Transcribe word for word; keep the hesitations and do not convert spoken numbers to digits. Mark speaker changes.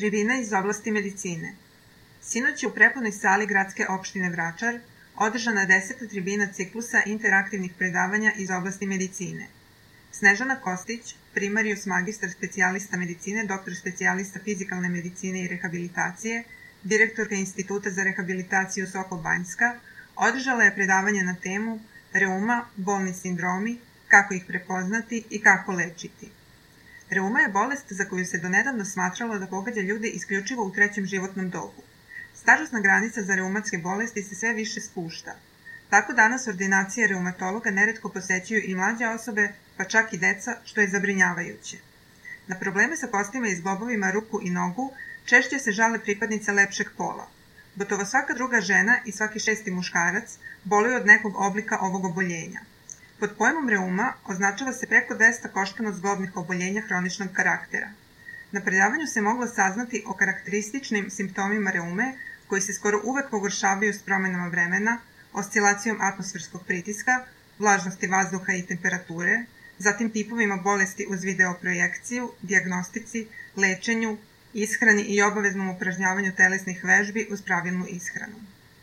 Speaker 1: Tribina iz oblasti medicine. Sinoć je u prepunoj sali gradske opštine Vračar održana deseta tribina ciklusa interaktivnih predavanja iz oblasti medicine. Snežana Kostić, primarius magistar specijalista medicine, doktor specijalista fizikalne medicine i rehabilitacije, direktorka Instituta za rehabilitaciju Sokol Banjska, održala je predavanje na temu Reuma, bolni sindromi, kako ih prepoznati i kako lečiti. Reuma je bolest za koju se donedavno smatralo da pogađa ljude isključivo u trećem životnom dobu. Stažosna granica za reumatske bolesti se sve više spušta. Tako danas ordinacije reumatologa neretko posećuju i mlađe osobe, pa čak i deca, što je zabrinjavajuće. Na probleme sa kostima i zglobovima ruku i nogu češće se žale pripadnice lepšeg pola. Gotovo svaka druga žena i svaki šesti muškarac boluju od nekog oblika ovog oboljenja. Pod pojmom reuma označava se preko dvesta koštano-zglobnih oboljenja hroničnog karaktera. Na predavanju se moglo saznati o karakterističnim simptomima reume, koji se skoro uvek pogoršavaju s promenama vremena, oscilacijom atmosferskog pritiska, vlažnosti vazduha i temperature, zatim tipovima bolesti uz videoprojekciju, dijagnostici, lečenju, ishrani i obaveznom upražnjavanju telesnih vežbi uz pravilnu ishranu.